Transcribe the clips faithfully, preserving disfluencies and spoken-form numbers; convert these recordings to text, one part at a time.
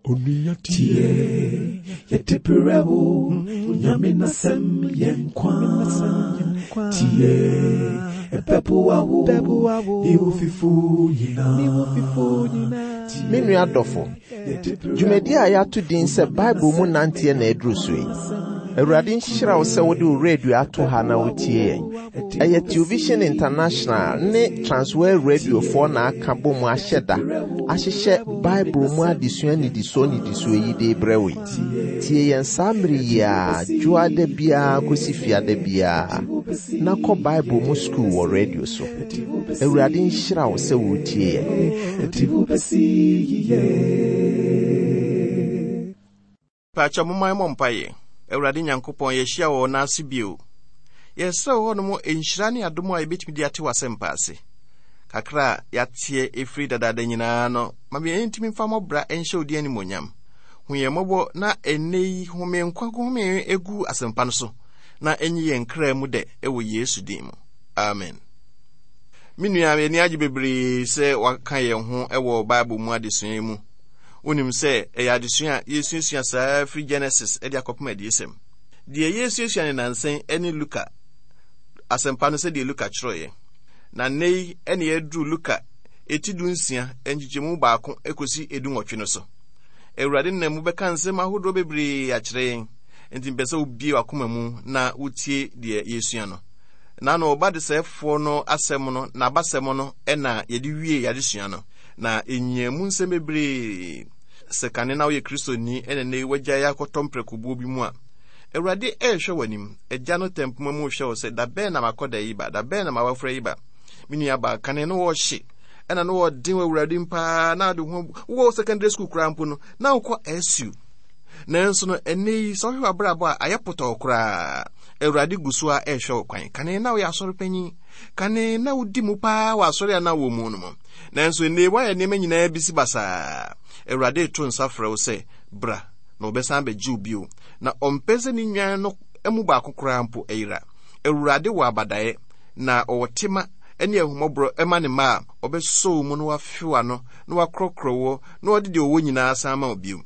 Tie, yɛde brɛ wo, Nyame n'asɛm yɛ nkwa. Tie, ɛbɛboa wo, ne wo fifo nyinaa. Me nua dɔfo, dwumadi a yɛato din sɛ Bible mu nanteɛ na aduru so yi. Awurade nhyira wo sɛ wode wo radio ato ha na wotie yɛn. Ɛyɛ Television International ne Transworld Radiofoɔ na aka bɔ mu ahyɛ da ahyehyɛ Bible mu adesua nnidisoɔ nnidisoɔ yi de brɛ wo yi. Tie yɛn saa mmere yi a dwoada biara kɔsi fiada biara na kɔ Bible mu sukuu wɔ radio so. Awurade nhyira wo sɛ wotie yɛn. Ɛde wo bɛsi yiye. Paakyɛ momma yɛmmɔ mpaeɛ. Awurade Nyankopɔn, yɛhyia wɔ wo ase bio. Yɛsrɛ wɔ hɔnom nhyira ne adom a yɛbɛtumi de ate w'asɛmpa ase. Kakra a yɛateɛ ɛfiri dadaada nyinaa no, ma yɛntumi mfa mmɔbra nhyɛ wo din animuonyam. Hu yɛn mmɔbɔ na ɛnnɛ yi home nkwa home egu asɛmpa no so na ɛnyi yɛn kra mu dɛ ɛwɔ Yesu din mu. Amen. Me nua, yɛni agye bebree sɛ waka yɛn ho ɛwɔ Bible mu adesua yi mu. Wonim sɛ ɛyɛ adesua a yɛsuasua saa firi Genesis de akɔpem Adiyisɛm. Deɛ yɛsuasua ne nansɛn ne Luka asɛmpa no sɛdeɛ Luka kyerɛeɛ. Na nnɛ yi ɛne yɛduru Luka eti du nsia nkyekyɛmu baako ekosi edu nwɔtwe no so. Awurade nam mu bɛka nsɛm ahodoɔ bebree akyerɛ yɛn. Nti mpɛ sɛ wobie w'akoma mu na wotie deɛ yɛsua no. Na no ɔba desɛefoɔ no asɛm no n'abasɛm no ɛna yɛde wie yɛadesua no. Na ɛnyia mu nsɛm bebree. Sɛ kane na woyɛ Kristoni ɛna nnɛ yi wagyae akɔtɔ mprɛkobuo bi mu a, Awurade ɛrehwɛ w'anim. Agya no tɛmpoma mu rehwɛ wo sɛ da bɛn na makɔda yi ba, da bɛn na mawafra yi ba. Me nua baa kane no wɔhye ɛna no wɔden wɔ Awurade mu paa na ade ho wowɔ secondary school koraa mpo no na wokɔ S U. Nanso no ɛnnɛ yi sɛ wohwɛ w'abrabɔ a ayɛ potɔɔ koraa. Awurade gu so a ɛrehwɛ wo kwan. Kane na woyɛ asɔre panyin. Kane na wodi mu paa wɔ asɔre a na wɔ mu no mu. Nanso ɛnnɛ yi woayɛ nneɛma nyinaa bi si basaa. Awurade reto nsa frɛ wo sɛ bra na ɔbɛsan abɛgye wo bio. Na ɔmpɛ sɛ ne nnwan no mu baako koraa mpo ayera. Awurade wɔ abadaeɛ na ɔwɔ tema ne ahummɔborɔ ma ne mma a ɔbɛsɔ wo mu na wafe w'ano na wakorɔkorɔ wo na ɔde deɛ ɔwɔ nyinaa san ma wo bio.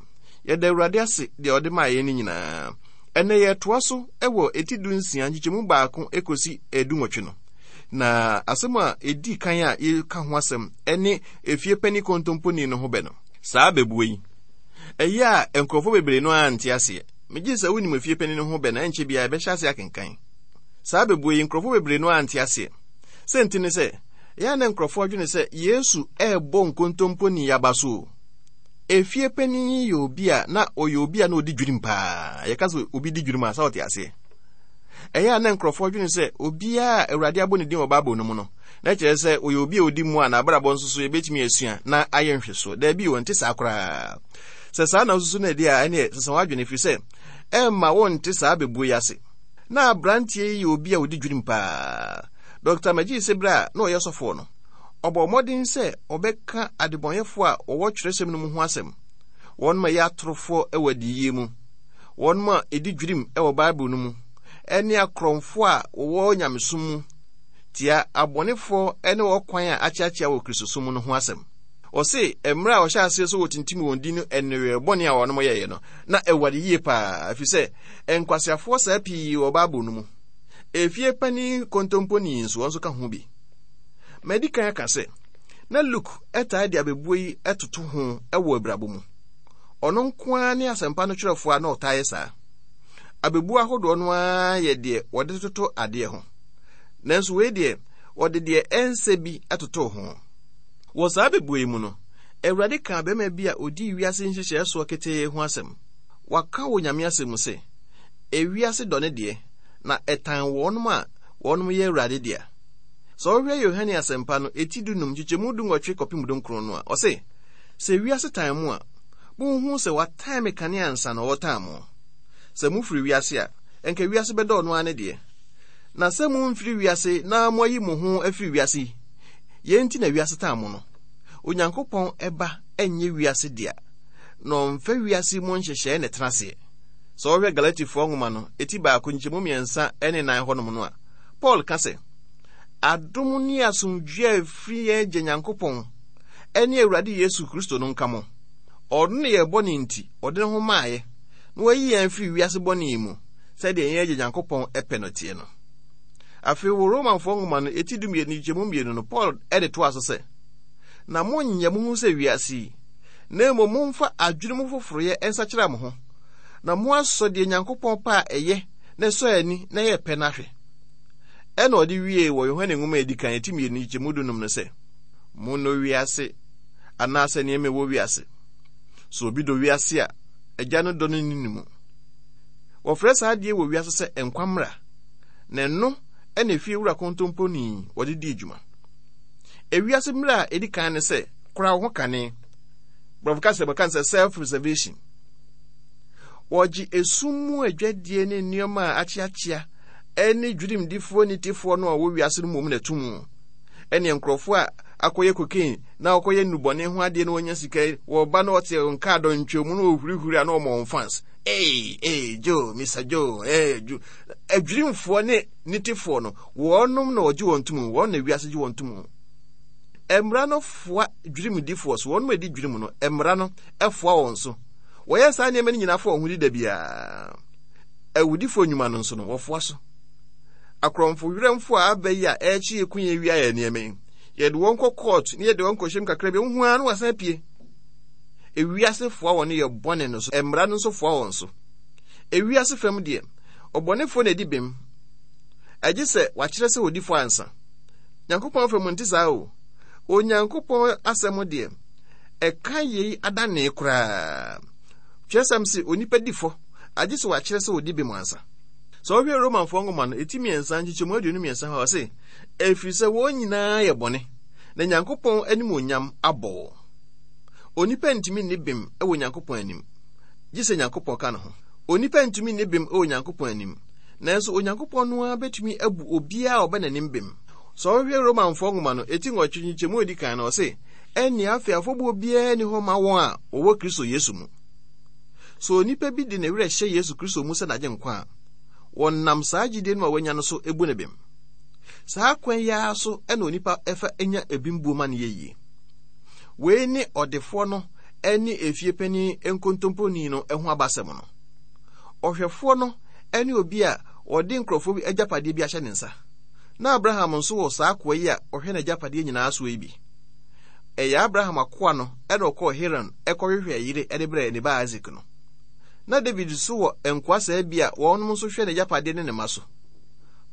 Yɛda Awurade ase deɛ ɔde maa yɛn no nyinaa. Ɛnnɛ yɛtoa so wɔ eti du nsia nkyekyɛmu baako ekosi edu nwɔtwe no. Na asɛm a edi kan a yɛka ho asɛm ne efie panin kontomponi no ho bɛ no. Saa bɛbuo yi, ɛyɛ a nkurɔfoɔ bebree no ara nte aseɛ. Megye sɛ wonim efie panin no ho bɛ na ɛnkyɛ biara yɛbɛhyɛ ase akenkan. Saa bɛbuo yi, nkurɔfoɔ bebree no ara nte aseɛ. Sɛ nti ne sɛ, ɛyɛ a na nkurɔfoɔ adwene sɛ Yesu ɛrebɔ nkontomponi aba so o. Efie panin yi yɛ obi a na ɔyɛ obi a na ɔdi dwirim paa. Yɛka sɛ obi di dwirim a, sɛ ɔte aseɛ. Ɛyɛ a na nkurɔfoɔ adwene sɛ obiara a Awurade abɔ ne din wɔ Bible no mu no, na kyerɛ sɛ ɔyɛ obi a ɔdi mu a n'abrabɔ nso so yɛbɛtumi asua na ayɛ nhwɛsoɔ. Daabi, ɔnte saa koraa. Sɛ saa na wosusu no adi a, ɛneɛ sesa w'adwene ɛfiri sɛ ɛmma wonte saa bɛbuo yi ase. Na aberanteɛ yi yɛ obi a ɔdi dwirim paa. Doctor Magee sɛ berɛ a na ɔyɛ sɔfoɔ no, ɔbɔ mmɔden sɛ ɔbɛka adebɔnyɛfoɔ a wɔwɔ twerɛsɛm no mu ho asɛm. Wɔn ma ɛyɛ atorofoɔ wɔ adiyie mu, wɔn ma ɛdi dwirim wɔ Bible no mu, ɛne akorɔmfoɔ a wɔwɔ nyamesom mu, tia abɔnefoɔ ne wɔn kwan a akyeakyea wɔ Kristosom no ho asɛm. Ɔse mmerɛ a ɔhyɛ aseɛ sɛ wɔtintim wɔn din no ɛnewɛ bɔne a wɔnom yɛeɛ no, na ɛware yie paa, ɛfiri sɛ nkwaseafoɔ saa pii wɔ Bible no mu. Efie panin kontomponi nso wɔn nso ka ho bi. Madi kan aka sɛ na Luke ɛtaa de abɛbuo yi ɛtoto ho ɛwɔ abrabɔ mu. Ɔno nko ara ne asɛmpa no kyerɛfoɔ a na ɔtaa yɛ saa. Abɛbuo ahodoɔ no ara yɛ deɛ wɔde toto adeɛ ho. Nanso wei deɛ wɔde deɛ ɛnsɛ bi ɛtoto ho. Wɔ saa abɛbuo yi mu no, Awurade kaa bɛrima bi a odii wiase nhyehyɛeɛ soɔ ketee ho asɛm. Waka wɔ Nyame asɛm mu sɛ, ewiase dɔ ne deɛ, na ɛtan wɔnom a wɔnom yɛ Awurade dea. Sɛ wohwɛ Yohane asɛmpa no eti dunum nkyekyɛmu dunwɔtwe kɔpem dunkron no a, ɔse, sɛ wiase tan mu a, monhu sɛ watan me kane ansa na ɔretan mo. Sɛ mofiri wiase a, ɛnka wiase bɛdɔ ɔno ara ne deɛ. Na sɛ momfiri wiase na moayi mo ho afiri wiase yi, yɛn nti na wiase tan mo no. Onyankopɔn ɛba ɛnyɛ wiase dea, na ɔmfa wiase mu nhyehyɛe na ɛtena aseɛ. Sɛ wohwɛ Galatifoɔ nwoma no eti baako nkyɛmu mmiɛnsa ne nan hɔnom no a, Paul ka sɛ, adom ne asomdwoe a ɛfiri yɛn Agya Nyankopɔn ɛne Awurade Yesu Kristo no nka mo. Ɔno ne yɛ bɔne nti, ɔde ne ho maayɛ, na wayi yɛn firi wiase bɔne yi mu, sɛdeɛ yɛn agya Nyankopɔn ɛpɛ no teɛ no. Afei wɔ Romanfoɔ nwoma no eti dumienu nkyɛmu mmienu no, Paul ɛde toa so sɛ, na monnyɛ mo ho sɛ wiase yi, na mmom momfa adwene mu foforoyɛ nsakyera mo ho, na moasɔ deɛ Nyankopɔn pɛ a ɛyɛ na ɛsɔ ani na ɛyɛ pɛ no ahwɛ. Ɛna ɔde wie wɔ Yohane nwoma a edi kan eti mmienu nkyɛmu dunum no sɛ, monnɔ wiase anaasɛ nneɛma ɛwɔ wiase. Sɛ obi dɔ wiase a, agya no dɔ no nni ne mu. Wɔfrɛ saa adeɛ wɔ wiase sɛ nkwa mmara, na ɛno ɛna efie wura kontomponi wɔde di adwuma. Ewiase mmara a edi kan ne sɛ kora wo ho kane. Borɔfo kasa mu ka sɛ self preservation. Wɔgye esum mu adwadie ne nneɛma a akyeakyea ɛne dwirimdifoɔ nitefoɔ no a wɔwɔ wiase no mmom na ɛto mu. Ɛne nkurɔfoɔ a akɔyɛ cocaine na wɔkɔyɛ nnubɔne ho adeɛ na wɔnya sika yi, wɔba na wɔte nkaa dɔntwam na wɔhurihuri a na wɔma wɔn fans. Ee, ee, Joe, Mister Joe, ee, Joe. Adwirimfoɔ ne nitefoɔ no, wɔnom na wɔgye wɔn tom, wɔn na wiase gye wɔn tom. Mmara no foa dwirimdifoɔ so, wɔnom a ɛdi dwirim no, mmara no foa wɔn so. Wɔyɛ saa nneɛma no nyinaa fa wɔn ho di da biara. Awudifoɔ nnwuma no nso no, wɔfoa so. Akorɔmfo werɛmfo a aba yi a ɛrekye yɛ kun yɛ wia yɛ nneɛma yi, yɛde wɔn kɔ court ne yɛde wɔn kɔhyɛm kakra bi, wohu ara na wɔasan apue. Ewiase foa wɔn yɛ bɔne no so, mmara no nso foa wɔn so. Ewiase fam deɛ, ɔbɔnefoɔ na edi bem. Ɛgye sɛ wakyerɛ sɛ odi fɔ ansa. Nyankopɔn fam nte saa o. Onyankopɔn asɛm deɛ, ɛka yei adane koraa. Kyerɛsɛm se onipa di fɔ, agye sɛ wakyerɛ sɛ odi bem ansa. Sɛ wohwɛ Romanfoɔ nwoma no, eti mmiɛnsa nkyekyɛmu aduonu mmiɛnsa hɔ a, ɔse, ɛfiri sɛ wɔn nyinaa yɛ bɔne, na Nyankopɔn animuonyam abɔ wɔn. Onipa ntumi nni bem wɔ Nyankopɔn anim, gye sɛ Nyankopɔn ka ne ho. Onipa ntumi nni bem wɔ Nyankopɔn anim, nanso Onyankopɔn no ara bɛtumi abu obiara a ɔbɛ n'anim bem. Sɛ wohwɛ Romanfoɔ nwoma no, eti nwɔtwe nkyekyɛmu a edi kan no, ɔse, ɛnne afei afɔbuo biara nni hɔ ma wɔn a wɔwɔ Kristo Yesu mu. Sɛ onipa bi de ne werɛ hyɛ Yesu Kristo mu sɛ n'agyenkwa a, wɔnam saa gyidie no a wanya no so ebu ne bem. Saa kwan yi ara so ɛna onipa ɛfa nya ebimbuo ma no yɛ yie. Wei ne ɔdefoɔ no ne efie panin nkontomponi no ho abasɛm no. Ɔhwɛfoɔ no ne obi a ɔde nkurɔfoɔ bi agyapadeɛ bi ahyɛ ne nsa. Na Abraham nso wɔ saa akoa yi a ɔhwɛ n'agyapadeɛ nyinaa soɔ yi bi. Ɛyɛ Abraham akoa no ɛna ɔkɔɔ Haran ɛkɔhwehwɛ yere ɛde brɛɛ ne ba Isaac no. Na David nso wɔ nkoa saa bi a wɔnom nso hwɛ n'agyapadeɛ ne ne mma so.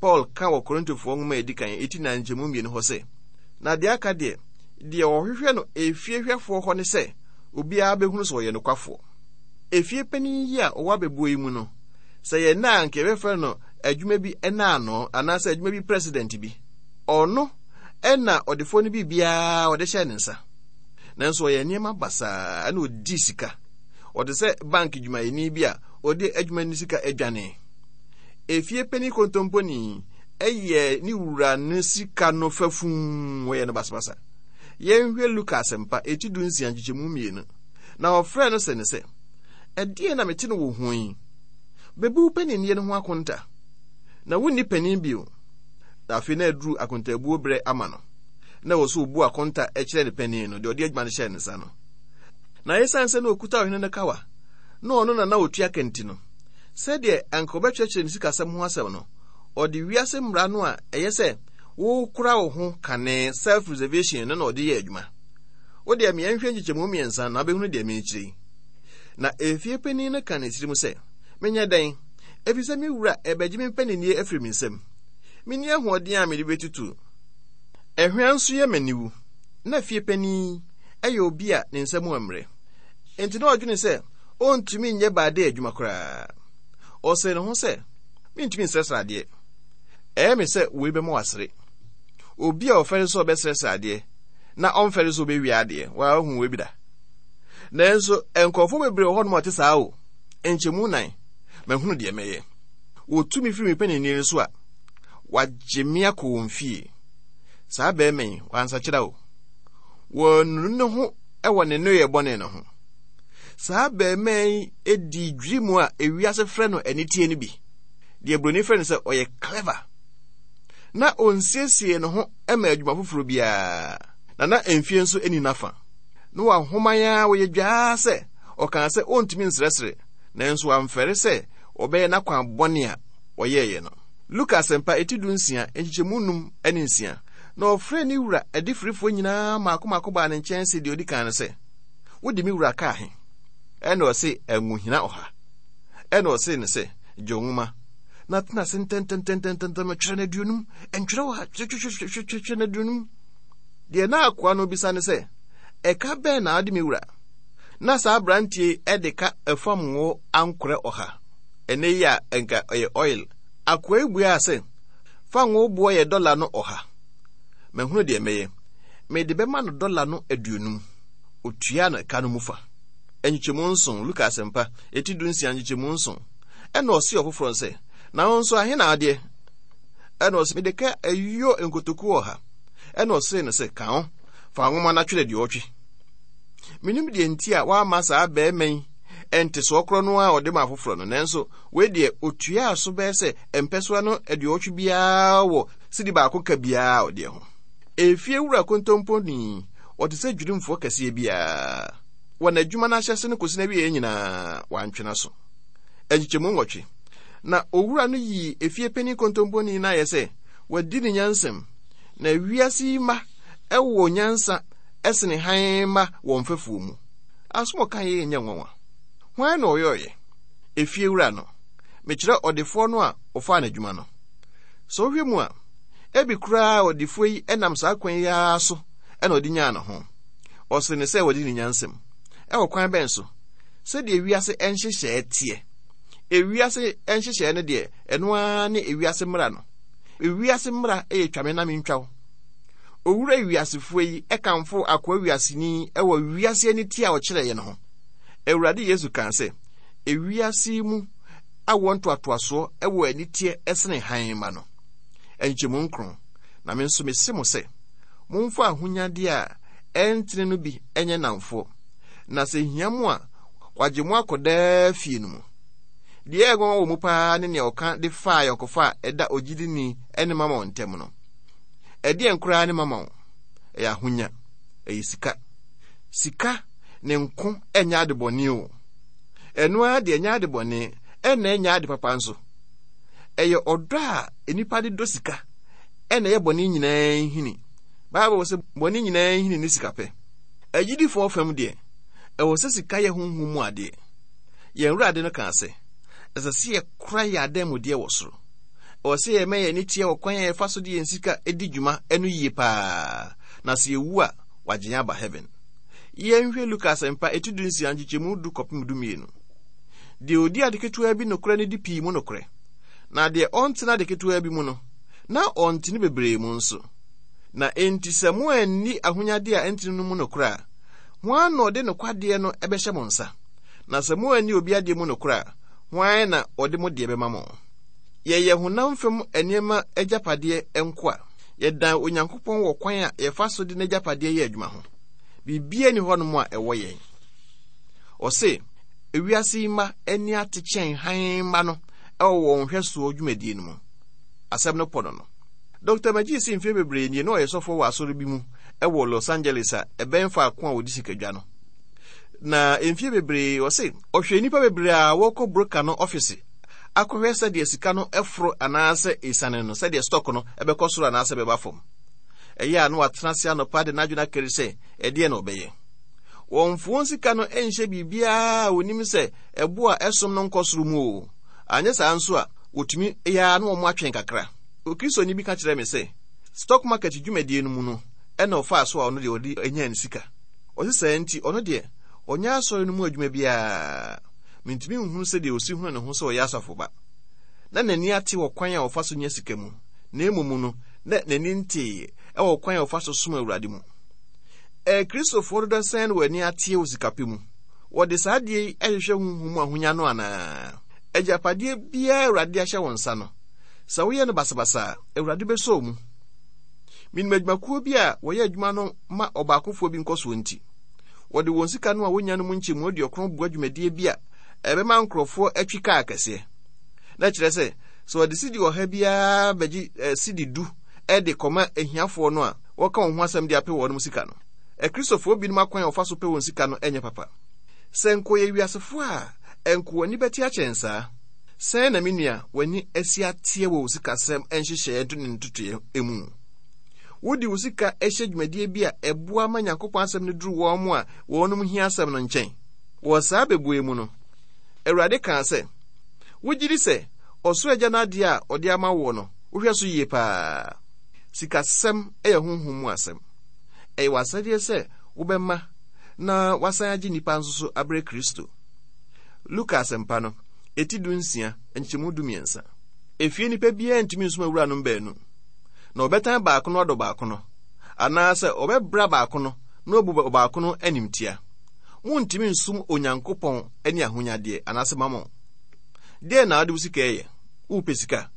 Paul ka wɔ Korintofoɔ nwoma a edi kan eti nan nkyɛmu mmienu hɔ sɛ, na deɛ aka deɛ, deɛ wɔhwehwɛ no efie hwɛfoɔ hɔ ne sɛ obiara bɛhunu sɛ ɔyɛ nokwafoɔ. Efie panin yi a ɔwɔ abɛbuo yi mu no, sɛ yɛ nna a nka yɛbɛfrɛ no adwuma bi ɛna ano anaasɛ adwuma bi president bi. Ɔno ɛna ɔdefoɔ no biribiara ɔde hyɛ ne nsa. Nanso ɔyɛ nneɛma basaa ɛna ɔdi sika. Ɔte sɛ bank dwumayɛni bi a ɔde adwuma no sika adwane. Efie panin kontomponi ɛyɛ ne wura no sika no fafum, wɔyɛ no basabasa. Yɛnhwɛ Luka asɛmpa eti du nsia nkyekyɛmu mmienu. Na ɔfrɛ no sɛ ne sɛ, ɛdeɛn na mete no wo ho yi? Bebu wo paninnie no ho akonta. Na wonni panin bio. Na afei na aduru akontaabuo berɛ ama no. Na ɛwɔ sɛ obu akonta kyerɛ ne panin no, deɛ ɔde adwuma no hyɛɛ ne nsa no. Na esiane sɛ na okuta ɔhene no kawa, na ɔno na na otua ka nti no, sɛdeɛ anka ɔbɛkyerɛkyerɛ ne sikasɛm ho asɛm no, ɔde wiase mmara no a ɛyɛ sɛ wokora wo ho kane self-preservation no na ɔde yɛ adwuma. Wo deɛ meɛnhwɛ nkyekyɛmu mmiɛnsa na wobɛhunu deɛ merekyerɛ yi. Na efie panin no ka ne tirim sɛ, menyɛ dɛn? Ɛfiri sɛ me wura ɛbɛgye me mpaninnie afiri me nsam. Menni ahoɔden a mede bɛtutu. Ɛhwea nso yɛ m'aniwu. Na fie panin ɛyɛ obi a ne nsa mu mmerɛ. Enti na ɔdwene sɛ ɔntumi nyɛ baade adwuma koraa. Ɔsee ne ho sɛ, mentumi nsrɛsrɛ adeɛ. Ɛyɛ me sɛ wei bɛma wasere. Obi a ɔfɛre sɛ ɔbɛsrɛsrɛ adeɛ na ɔmfɛre sɛ ɔbɛwia adeɛ, wahu wei bi da. Nanso nkurɔfoɔ bebree wɔ hɔnom a ɔte saa o. Nkyɛmu nan, mahunu deɛ mɛyɛ. Wɔtu me firi me paninnie no so a, wagye me akɔ wɔn fie. Saa bɛrima yi, wansakyera o. Wɔanunu ne ho wɔ ne nneyɛɛ bɔne no ho. Saa bɛrima yi di dwiri mu a ewiase frɛ no aniteɛ no bi. Deɛ buroni frɛ no sɛ ɔyɛ clever. Na onsiesie ne ho ma adwuma foforɔ biara. Na na mfie nso nni n'afa. Na wahoman a wɔyɛ dwaa sɛ ɔkaa sɛ ɔntumi nsrɛsrɛ, nanso wamfɛre sɛ ɔbɛyɛ n'akwan bɔne a ɔyɛeɛ no. Luka Asɛmpa eti du nsia, nkyekyɛmu num ne nsia. Na ɔfrɛɛ ne wura adifirifoɔ nyinaa mmaako mmaako baa ne nkyɛn se deɛ odi kan no sɛ, wode me wura kaa he? Ɛna ɔse anguhina ɔha. Ɛna ɔse ne sɛ, gye nwoma na tena ase ntɛntɛntɛntɛntɛm twerɛ no aduonum, ntwerɛ ɔha, twerɛ no aduonum. Deɛ na akoa no bisa ne sɛ, ɛka bɛn na ade me wura? Na saa aberanteɛ ɛde ka ɛfam ngo ankorɛ ɔha. Ɛnɛ yi a ɛnka ɛyɛ oil. Akoa yi buaa sɛ, fa ngo boɔ yɛ dɔla no ɔha. Mahunu deɛ mɛyɛ. Mede bɛma no dɔla no aduonum. Otua no ɛka no mu fa. Nkyekyɛmu nson, Luka Asɛmpa, eti du nsia nkyekyɛmu nson. Ɛna ɔse ɔfoforɔ sɛ, na wo nso ahe na adeɛ? Ɛna ɔse, mede ka ayuo nkotokuo ɔha. Ɛna ɔse no sɛ, ka ho, fa nwoma no atwerɛ deɛ ɔtwe. Menim deɛ nti a woama saa bɛrima yi ɛntesoɔ korɔ no a ɔde ma afoforɔ no, nanso wei deɛ otuaa so bɛyɛ sɛ mpɛsoa no aduɔwɔtwe biara wɔ sidi baako ka biara a ɔdeɛ ho. Efie wura kontomponi, ɔte sɛ dwirimfoɔ kɛseɛ biara. Wɔ n'adwuma no ahyɛse no kɔsi n'awieeɛ nyinaa, wantwena so. Nkyekyɛmu nwɔtwe. Na owura no yii efie panin kontomponi no ayɛ sɛ wadi ne nyansam, na wiase yi mma ɛwɔ nyansa ɛsene hann mma wɔ mfɛfoɔ mu. Asom ɔka yɛ nyɛ nwanwa. Hwan na ɔyɔɔyɛ? Efie wura no. Mekyerɛ ɔdefoɔ no a ɔfaa n'adwuma no. Sɛ wohwɛ mu a, ebi koraa ɔdefoɔ yi ɛnam saa kwan yi ara so ɛna ɔde nyaa ne ho. Ɔsere ne sɛ wɔde ne nyansam. Ɛwɔ kwan bɛn so? Sɛdeɛ ewiase nhyehyɛɛ teɛ. Ewiase nhyehyɛɛ no deɛ, ɛno ara ne ewiase mmara no. Ewiase mmara yɛ twame na mentwa wo. Owura wiasefoɔ yi ɛkamfo akoa wiaseni ɛwɔ wiase ani ti a ɔkyerɛeɛ no ho. Awurade Yesu kaa sɛ, ewiase yi mu awoɔ ntoatoasoɔ ɛwɔ aniteɛ ɛsene hann ma no. Nkyɛmu nkron. Na me nso mese mo sɛ, momfa ahonyadeɛ a ɛntene no bi ɛnyɛ nnamfoɔ, na sɛ hia mo a, wagye mo akɔ daa fie no mu. Deɛ ɛyɛ nwanwa wɔ mu paa ne nea ɔka de faa ayɔnkofa a ɛda ogyidini ne mama ntam no. Ɛdeɛn koraa ne mama wo? Ɛyɛ ahonya, ɛyɛ sika. Sika ne nko ɛnyɛ ade bɔne o. Ɛno ara deɛ ɛnyɛ ade bɔne, ɛna ɛnyɛ ade papa nso. Ɛyɛ ɔdɔ a nnipa de dɔ sika ɛna ɛyɛ bɔne nyinaa nhini. Bible sɛ bɔne nyinaa nhini ne sika pɛ. Agyidifoɔ fam deɛ, ɛwɔ sɛ sika yɛ honhom mu adeɛ. Yɛn Awurade no kaa sɛ, ɛsɛ sɛ yɛkora yɛn adanmudeɛ wɔ soro. Ɛwɔ sɛ yɛma yɛn ani teɛ wɔ kwan a yɛfa so de yɛn sika di dwuma no yie paa, na sɛ yɛwu a, wagye yɛn aba heaven. Yɛnhwɛ Luka Asɛmpa eti du nsia nkyekyɛmu du kɔpem du mmienu. Deɛ odi ade ketewa bi nokorɛ no di pii mu nokorɛ, na deɛ ɔntena ade ketewa bi mu no, na ɔntene bebree mu nso. Na enti sɛ mo anni ahonyadeɛ a ɛntene no mu nokorɛ a, hwan na ɔde nokwadeɛ no ɛbɛhyɛ mo nsa? Na sɛ mo anni obi adeɛ mu nokorɛ a, hwan na ɔde mo deɛ bɛma mo? Yɛyɛ honam fam nneɛma agyapadeɛ nkoa. Yɛdan Onyankopɔn wɔ kwan a yɛfa so de n'agyapadeɛ yɛ adwuma ho. Biribiara nni hɔnom a ɛwɔ yɛn. Ɔse, ewiase yi mma ani ate kyɛn hann mma no ɛwɔ wɔn hwɛsoɔ dwumadie no mu. Asɛm no pɔ no no. Doctor Magee si mfeɛ bebree nie na ɔyɛ sɔfoɔ wɔ asɔre bi mu ɛwɔ Los Angeles a ɛbɛn faako a wɔdi sikadwa no. Na mfeɛ bebree ɔse ɔhwɛ nnipa bebree a wɔkɔ broker no ɔfise akɔhwɛ sɛdeɛ sika no ɛforo anaasɛ esiane no, sɛdeɛ stock no ɛbɛkɔ soro anaasɛ ɛbɛba fam. Ɛyɛ a na watena ase anɔpa de n'adwene akari sɛ ɛdeɛ na ɔbɛyɛ. Wɔmfo wɔn sika no nhyɛ biribiara a wɔnim sɛ ɛbo a ɛsom no nkɔ soro mu o. Anyɛ saa nso a, wɔtumi yɛ a na wɔn atwɛn kakra. Okristoni bi ka kyerɛɛ me sɛ, stock market dwumadie no mu no, ɛna ɔfaa so a ɔno deɛ ɔde anya ne sika. Ɔse saa nti, ɔno deɛ, ɔnyɛ asɔre no mu adwuma biara. Mentumi nhunu sɛdeɛ ɔsi hunu ne ho sɛ ɔyɛ asafo ba. Na n'ani ate wɔ kwan a ɔfa so nya sika mu, na mmom no, na n'ani ntee ɛwɔ kwan a ɔfa so som Awurade mu. Akristofoɔ dodoɔ sɛn na wɔn ani ateɛ wɔ sikapɛ mu? Wɔde saa adeɛ yi hwehwɛ honhom mu ahonya no anaa? Agyapadeɛ biara Awurade ahyɛ wɔn nsa no, sɛ woyɛ no basabasa a, Awurade bɛsɔ wo mu. Menim adwumakuo bi a wɔyɛ adwuma no ma ɔbaakofoɔ bi nkɔsoɔ nti, wɔde wɔn sika no a wonya no mu nkyɛmu aduɔkron boa dwumadie bi a ɛbɛma nkurɔfoɔ atwi kaa kɛseɛ. Na kyerɛ sɛ, sɛ wɔde sidi ɔha biara bɛgye eh, sidi du de kɔma ahiafoɔ no a wɔka wɔn ho asɛm de apɛ wɔn sika no. Akristofoɔ binom akwan a wɔfa so pɛ wɔn sika no nyɛ papa. Sɛ nkɔyɛ wiasefoɔ a, ɛnko w'ani bɛte akyɛn saa. Sɛn na me nua w'ani asi ateɛ wɔ wo sikasɛm nhyehyɛeɛ ne ntotoeɛ mu? Wode wo sika hyɛ dwumadie bi a ɛboa ma Nyankopɔn asɛm no duru wɔn mo a wɔnom hia asɛm no nkyɛn. Wɔ saa bɛbue mu no, Awurade kaa sɛ, wogye di sɛ ɔsoro agya no adeɛ a ɔde ama woɔ no, wohwɛ so yie paa. Sikasɛm yɛ honhom mu asɛm. Ɛyɛ w'asɛdeɛ sɛ wobɛma na wasan agye nnipa nso so abrɛ Kristo. Luka asɛmpa no, eti du nsia, nkyɛmu du mmiɛnsa. Efie nipa biara ntumi nsom awuranom baanu. Na ɔbɛtan baako no adɔ baako no, anaasɛ ɔbɛbra baako no na obu baako no animtia. Muntumi nsom Onyankopɔn ne ahonyadeɛ anaasɛ mammon. Deɛn na wode wo sika yɛ? Wopɛ sika?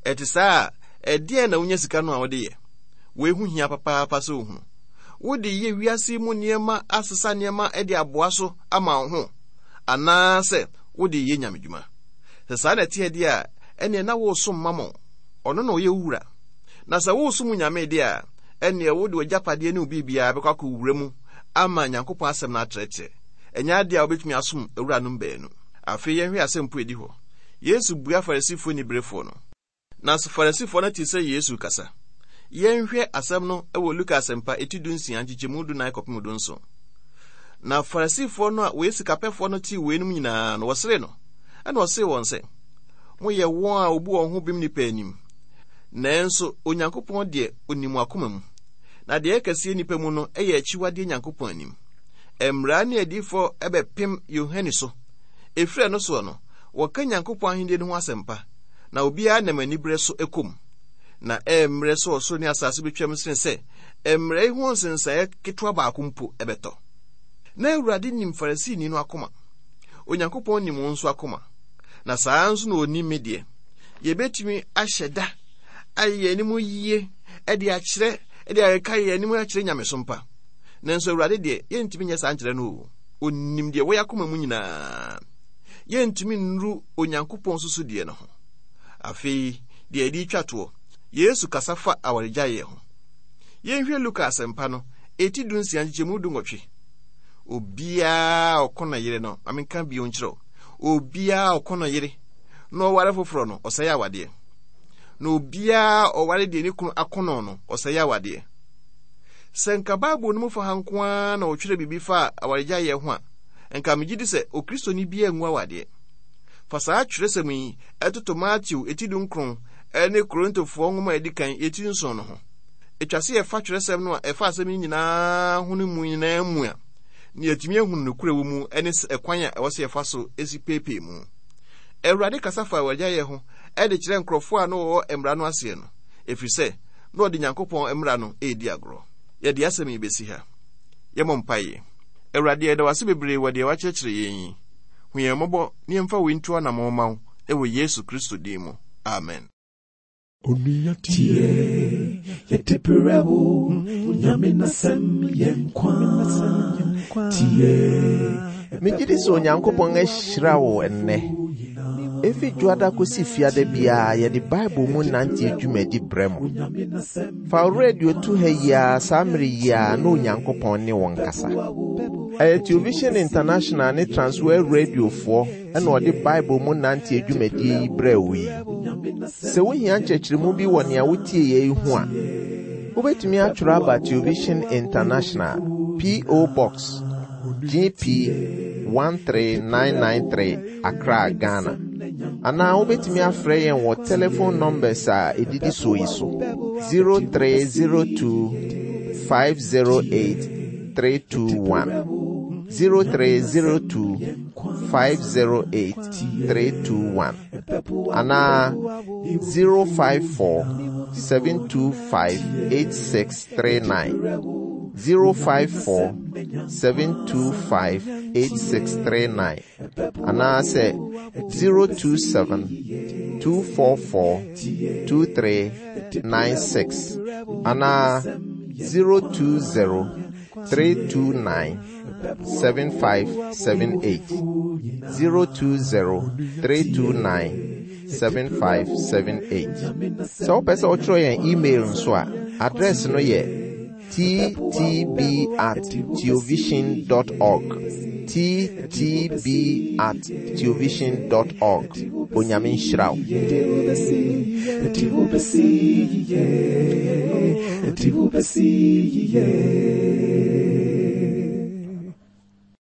Ɛte saa a, ɛdeɛn na wonya sika no a wode yɛ? Wei ho hia papaapa sɛ wohunu. Wode yɛ wiase mu nneɛma asesa nneɛma de aboa so ama wo ho, anaasɛ wode yɛ nyamedwuma. Sɛ saa na ɛteɛ deɛ a, ɛneɛ na woresom mammon. Ɔno na ɔyɛ wo wura. Na sɛ woresom Nyame deɛ a, ɛneɛ wode w'agyapadeɛ ne wo biribiara bɛkɔ akɔwura mu ama Nyankopɔn asɛm no atrɛtrɛ. Ɛnyɛ adeɛ a wobɛtumi asom awuranom baanu. Afei yɛnhwɛ asɛmpo edi hɔ. Yesu bua Farisifoɔ niberefoɔ no. Na Farisifoɔ no te sɛ Yesu kasa. Yɛnhwɛ asɛm no wɔ Luka asɛmpa eti du nsia nkyekyɛmu du nan kɔpem du nson. Na Farisifoɔ no a wɔyɛ sikapɛfoɔ no tee weinom nyinaa no, wɔseree no. Ɛna ɔsee wɔn sɛ, moyɛ wɔn a wobu wɔn ho bem nnipa anim. Nanso Onyankopɔn deɛ onim akoma mu. Na deɛ ɛkɛseɛ nnipa mu no yɛ akyiwadeɛ Nyankopɔn anim. Mmara ne adiyifoɔ bɛpem Yohane so. Ɛfiri ɛno soɔ no, wɔka Nyankopɔn ahennie no ho asɛmpa, na obiara nam aniberɛ so kɔ. Na ɛmmerɛ sɛ ɔsoro ne asase betwam sene sɛ mmara yi ho nsensaeɛ ketewa baako mpo ɛbɛtɔ. Na Awurade nim Farisini no akoma. Onyankopɔn nim wo nso akoma. Na saa nso na onim me deɛ. Yɛbɛtumi ahyɛ da ayɛ yɛn anim yie de akyerɛ de ayɛka yɛn anim akyerɛ nyamesom pa. Nanso Awurade deɛ yɛntumi nyɛ saa nkyerɛ no o. Onim deɛ wɔyɛ akoma mu nyinaa. Yɛntumi nnuru Onyankopɔn susudeɛ no ho. Afei deɛ yɛde twa toɔ, Yesu kasa fa awaregyaeɛ ho. Yɛnhwɛ Luka asɛmpa no, eti du nsia nkyekyɛmu du nwɔtwe. Obiara ɔko ne yere no, ma menka bio nkyerɛ wo. Obiara ɔko ne yere na ɔware foforɔ no, ɔsɛe awadeɛ. Na obiara ɔware deɛ ne kunu akono no, ɔsɛe awadeɛ. Sɛ nka Bible no mu fa ha nko ara na ɔtwerɛ biribi fa awaregyaeɛ ho a, nka megye di sɛ Okristoni biara ngu awadeɛ. Fa saa twerɛsɛm yi ɛtoto Mateo eti du nkron ne Korintofoɔ nwoma a edi kan eti nson no ho. Etwa sɛ yɛfa twerɛsɛm no a ɛfa asɛm yi nyinaa ho no mu nyinaa mu a, na yɛatumi ahunu nokorɛ wɔ mu ne ɛkwan a ɛwɔ sɛ yɛfa so si peepee mu. Awurade kasa fa awaregyaeɛ ho de kyerɛ nkurɔfoɔ a na wɔwɔ mmara no aseɛ no, ɛfiri sɛ na ɔde Nyankopɔn mmara no redi agorɔ. Yɛde asɛm yi bɛsi ha. Yɛmmɔ mpaeɛ. Awurade, yɛda wo ase bebree wɔ deɛ woakyerɛkyerɛ yɛn yi. Hu yɛn mmɔbɔ na yɛmfa wei nto anammɔn mma wo wɔ Yesu Kristo din mu. Amen. Onua tie, yɛde brɛ wo, Onyame n'asɛm yɛ nkwa. Tie. Megye di sɛ Onyankopɔn ahyira wo ɛnnɛ. Efi dwoada kosi fiada biara yɛde Bible mu nante dwumadi brɛ mo. Fa wo radio to ha yi ara saa mmere yi ara na Onyankopɔn ne wo nkasa. Ɛyɛ Television International ne Transworld Radiofoɔ ɛna ɔde Bible mu nante dwumadie yi brɛ wo yi. Sɛ wohia nkyerɛkyerɛmu bi wɔ nea wotie yɛ yi ho a, wobɛtumi atwerɛ aba Television International, P O. Box G P one three nine nine three, Accra, Ghana. Anaa wobɛtumi afrɛ yɛn wɔ telephone numbers a ɛdidi soɔ yi so: zero three zero two five zero eight three two one, zero three zero two five zero eight three two one, anaa zero five four seven two five eight six three nine, zero five four seven two five eight six three nine, anaasɛ zero two seven two four four two three nine six, anaa zero two zero three two nine seven five seven eight, zero two zero three two nine seven five seven eight. Sɛ wopɛ sɛ wotwerɛ yɛn email nso a, address no yɛ T T B at theovision dot org, T T B at theovision dot org. Onyame nhyira wo. Ɛde wo bɛsi yie, ɛde wo bɛsi yie.